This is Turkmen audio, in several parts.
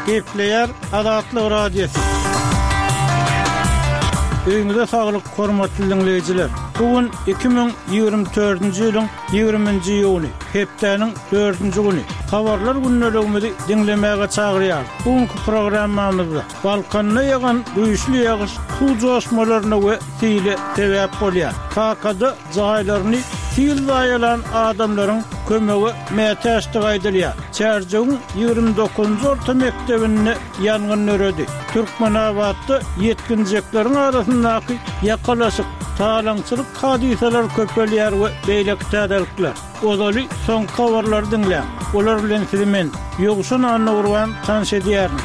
Gepleýär Azatlyk Radiosy. Öýüňize saglyk, hormatly diňleýjiler! Bu gün 2024-nji ýylyň 20-nji iýuny, hepdäniň dördünji güni. Habarlar gündeligimizi diňlemäge çagyrýarys. Bu günki programmamyzda Balkanda ýagan güýçli ýagyş suw joşmalaryna we sile sebäp bolýar. Kakada jaýlaryny sil zaýalan adamlaryň kömege mätäçdigi aýdylýar. Çärjewiň 29-njy orta mekdebinde ýangyn döredi. Türkmenabatda ýetginjekleriň arasyndaky ýakalaşyk, talaňçylyk hadysalary köpelýär we beýleki täzelikler. Ozaly soňky habarlary diňläň. Olar bilen sizi men, Ýowşan Annagurban tanyş edýärin.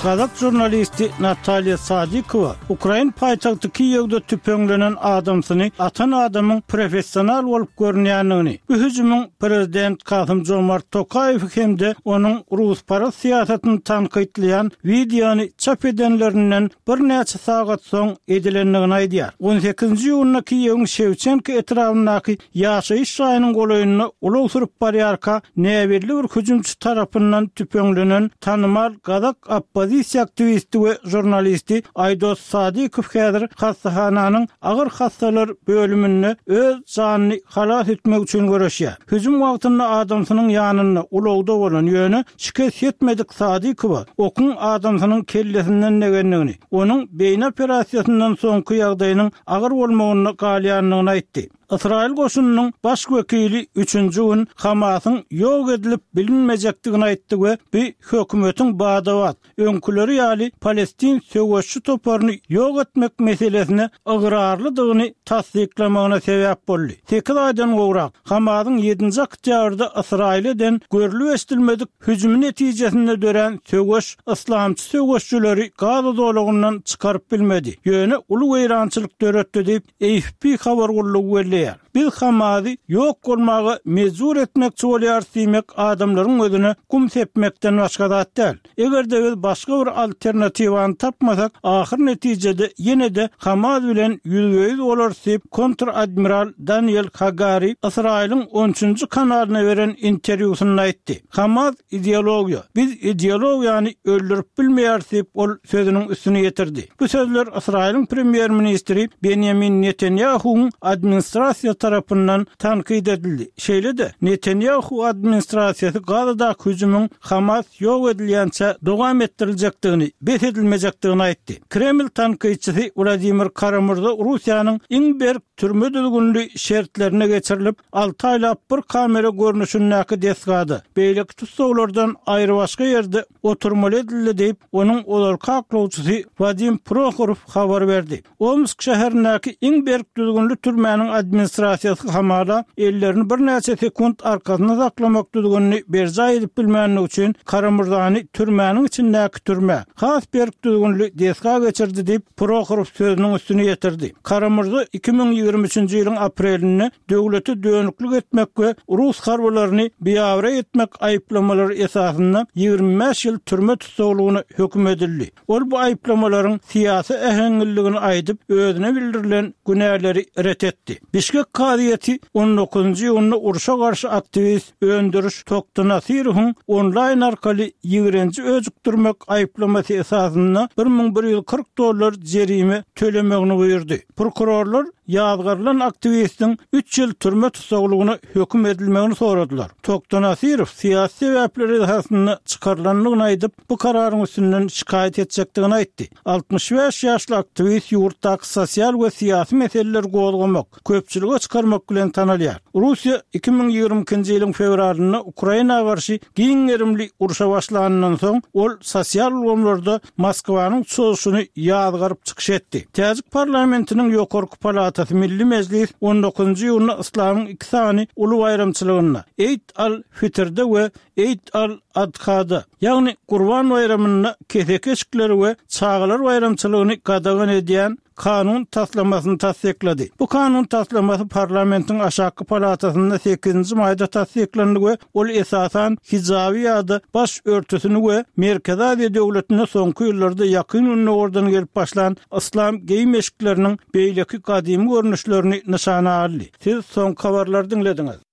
Gazak žurnalisti Natalýa Sadikowa ukrain paýtagty Kiýewde tüpeňlenen adamsyny atan adamyň professional bolup görünýändigini, bu hüjümiň prezident Kasym-Jomart Tokaýewi hem-de onuň rusparaz syýasatyny tankytlaýan wideony çap edenlerinden birnäçe sagat soň edilendigini aýdýar. On sekizinji iýunda Kiýewiň Şewçenko etrabyndaky ýaşaýyş jaýynyň golaýynda ulag sürüp barýarka näbelli bir hüjümçi tarapyndan tüpeňlenen tanymal gazak oppozisiýa aktiwisti we žurnalisti Aýdos Sadykow häzir hassahananyň agyr hassalar bölüminde öz janyny halas etmek üçin göreşýär. Hüjüm wagtynda adamsynyň ýanynda ulagda bolan, ýöne şikes ýetmedik Sadykowa okuň adamsynyň kellesinden degendigini, onuň beýni operasiýasyndan soňky ýagdaýynyň agyr bolmagynda galýandygyny aýtdy. Ysraýyl goşunynyň baş wekili üçünji gün Hamasyň ýok edilip bilinmejekdigini aýtdy we bu hökümetiň bada-bat, öňküleri ýaly palestin söweşçi toparyny ýok etmek meselesine ygrarlydygyny tassyklamagyna sebäp boldy. Sekiz aýdan gowrak, Hamasyň ýedinji oktýabrda Ysraýyla eden görlüp-eşidilmedik hüjümi netijesinde dörän söweş yslamçy söweşçileri Gaza zolagyndan çykaryp bilmedi, ýöne uly weýrançylyk döretdi diýip, AFP habar gullugy belleýär. Biz Hamazy ýok bolmaga mejbur etmekçi bolýarys diýmek adamlaryň gözüne gum sepmekden başga zat däl. Eger-de biz başga bir alternatiwany tapmasak, ahyr netijede ýene-de Hamaz bilen ýüzbe-ýüz bolarys diýip, kontr-admiral Daniel Hagari Ysraýylyň on üçünji kanalyna beren interwýusynda aýtdy. Hamaz ideologiýa. Biz ideologiýany öldürip bilmeýäris diýip, ol sözüniň üstüni ýetirdi. Bu sözler Ysraýylyň premýer-ministri Benýamin Netanýahuwyň administrasiýasy tarapyndan tankyt edildi. Şeýle-de, Netanýahu administrasiýasy Gazadaky hüjümiň Hamas ýok edilýänçä dowam etdiriljekdigini, bes edilmejekdigini aýtdy. Kreml tankytçysy Wladimir Kara-Murza Russiýanyň iň berk türme düzgünli şertlerine geçirilip, alty aýlap bir kamera görnüşindäki desgada, beýleki tussaglardan aýrybaşga ýerde oturmaly edildi diýip, onuň ozalky aklawçysy Wadim Prohorow habar berdi. Omsk şäherindäki iň berk düzgünli türmäniň administrasiýasy hamala ellerini birnäçe sekunt arkasynda saklamak düzgünini berjaý edip bilmänligi üçin Karamürzany türmäniň içindäki türmä, has berk düzgünli desga geçirdi diýip, Prohorow sözüniň üstüni ýetirdi. Karamürza 2023-nji ýylyň aprelinde döwlete dönüklik etmek we rus harbylaryny biabraý etmek aýyplamalary esasynda 25 ýyl türme tussaglygyna höküm edildi. Ol bu aýyplamalaryň syýasy äheňliligini aýdyp, özüne bildirilen günäleri ret etdi. Bişkek kazyýeti on dokuzynjy iýunda urşa garşy aktiwist Öndüriş Toktynasyrowyň onlaýn arkaly ýigrenji öjükdirmek aýyplamasy esasynda 1140 dollar jerime tölemegini buýurdy. Prokurorlar ýazgarylan aktiwistiň üç ýyl türme tussaglygyna höküm edilmegini soradylar. Toktynasyrow syýasy sebäpler esasynda çykarylandygyny aýdyp, bu kararyň üstünden şikaýat etjekdigini aýtdy. 65 ýaşly aktiwist ýurtdaky sosial we syýasy meseleleri gozgamak, köpçülige çykarmak bilen tanalýar. Russiýa 2022-nji ýylyň fewralynda Ukraina garşy giň gerimli urşa başlanyndan soň, ol sosial ulgamlarda Moskwanyň çozuşyny ýazgaryp çykyş etdi. Täjik parlamentiniň ýokarky palatasy Milli Mejlis on dokuzynjy iýunda yslamyň iki sany uly baýramçylygynda, Eid al-Fitrde we Eid al-Adhada, ýagny Gurban baýramynda keseki eşikleri we çagalar baýramçylygyny gadagan edýän kanun taslamasyny tassyklady. Bu kanun taslamasy parlamentiň aşakky palatasynda sekizinji maýda tassyklandy we ol esasan hijaby ýa-da baş örtüsini we Merkezi Aziýa döwletinde soňky ýyllarda Ýakyn Gündogardan gelip başlan yslam geýim-eşikleriniň beýleki gadymy görnüşlerini nyşana aldy. Siz soňky habarlary diňlediňiz.